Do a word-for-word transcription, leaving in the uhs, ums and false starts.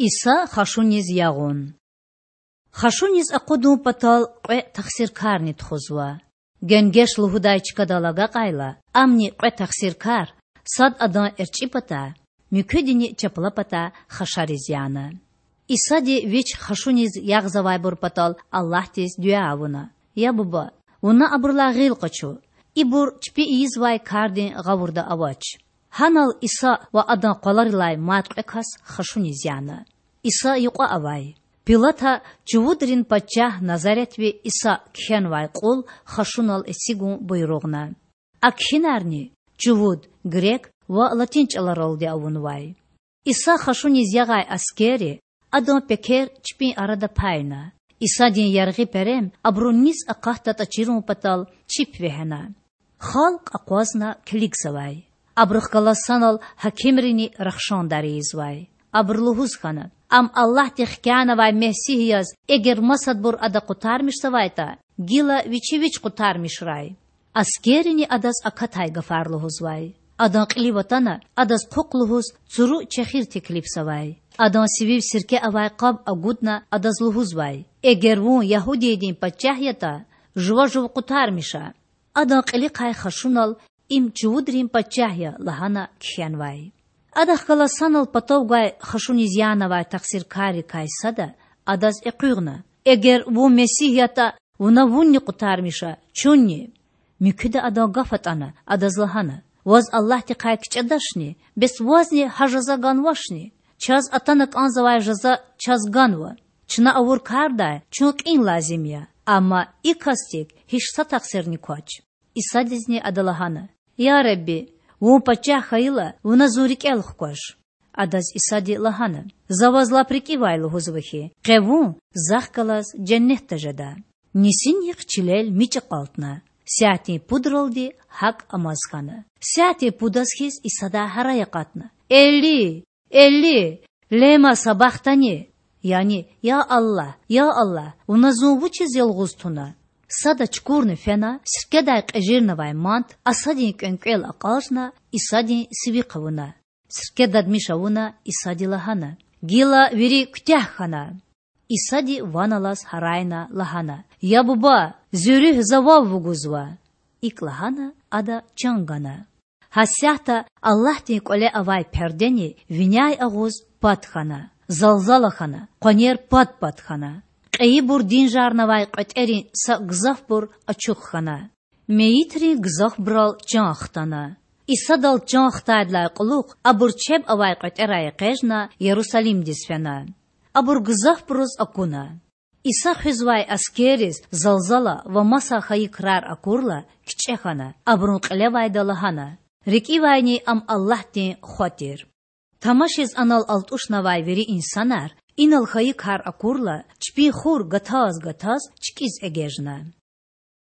Иса хашуниз ягъун. Хашуниз акъудун патал кьве тахсиркарни тухузва. Генгеш лугьудай чкадал агакьайла, амни кьве тахсиркар, сад адан эрчӀи патай, муькуьдини чапла патай хашариз яна. Исади Вич хашуниз ягъзавайбур патал Аллагьдиз дуьа авуна: Я Буба, Вуна абурулай гъил къачу, ибур чпи ийизвай кардин гъавурда авач. Гьанал Иса ва Адан къваларилай мад кьве кас хашуниз яна. Иса юкьва авай. Пилата чувудрин пачагь, Назаретви Иса кхьенвай кьул хашунал эцигун буйругъна. А кхьинарни чувуд, грек ва латин чӀаларалди авунвай. Иса хашуниз ягъай аскерри Адан пекер чпин арада пайна. Исадин яргъи перем абурун низ акъатдатӀа чирун патал чип вегьена. Халкь акъвазна килигзавай. Абурухъ галаз санал гьакимрини рахшандар ийизвай. Абуру лугьуз хьана: Ам Аллагьди хкянавай Месигь яз, эгер масадбур Ада къутармишзавайтӀа, гила Вичи Вич къутармишрай. Аскеррини Адаз акатай гафар лугьузвай. Адан кьилив атана, Адаз хъухъ лугьуз цуру чехир теклифзавай. Адан сивив сирке авай къаб агудна, Адаз лугьузвай: Эгер Вун ягьудиydin пачагь ятӀа, жува жув къутармиша. Адан кьилихъай хашунал: Им чувудрин пачагь я лагьана кхьенвай. Адахъ галаз санал патав гвай хашуниз янавай тахсиркаррикай сада, Адаз экъуьгъна: Эгер Вун Месигь ятӀа, Вуна Вунни къутармиша, чунни. Муькуьда Адан гаф атӀана, Адаз лагьана: Ваз Аллагьдихъай кичӀедачни? Бес Вазни гьа жаза ганвачни? Чаз атана кӀанзавай жаза чаз ганва. Чна авур кардай чун кьин лазим я, амма и касдик гьич са тахсирни квач. Исадизни ада лагьана: Я Худа, Вун пачагь хьайила, Вуна зун рикӀел хкваш. Адаз Исади лагьана: За Ваз лап рикӀивай лугьузва хьи, къе Вун Захъ галаз женнетда жеда. Нисинихъ чилел мичӀ акьалтна. Сятдин пудралди гьакӀ амаз хьана. Сятдин пудаз хьиз Исадай гьарай акъатна: Эли, Эли, лема сабахтани? Яни: Я Аллагь, Я Аллагь, Вуна зун вучиз ялгъуз туна? Сада чукурна фена, сиркедай кьежирнавай мант асадин кӀвенкӀвел акьажна, Исадин сивихъ авуна. Сирке дадмиш авуна, Исади лагьана: Гила вири куьтягь хьана. Исади ван алаз гьарайна, лагьана: Я Буба, зи руьгь За вав вугузва. ИкӀ лагьана, ада чан гана. Гьасятда Аллагьдин КӀвале авай пердени виняй агъуз пад хьана, залзала хьана, къванер пад-пад хьана. Кьейибур динжарнавай кьветерин са гзафбур ачух хьана. Мейитрин гзафбурал чан хтана. Исадал чан хтайдалай кьулухъ абур чеб авай кьветерай экъечӀна, Ярусалимдиз фена. Абур гзафбуруз акуна. Иса хуьзвай аскерриз залзала ва маса хьайи крар акурла, кичӀе хьана, абурун кьилевайда лагьана: РикӀивайни Ам Аллагьдин Хва тир. Тамашиз анал алтӀушнавай вири инсанар, инал хьайи кар акурла, чпин хур гатаз-гатаз чкӀиз эгечӀна.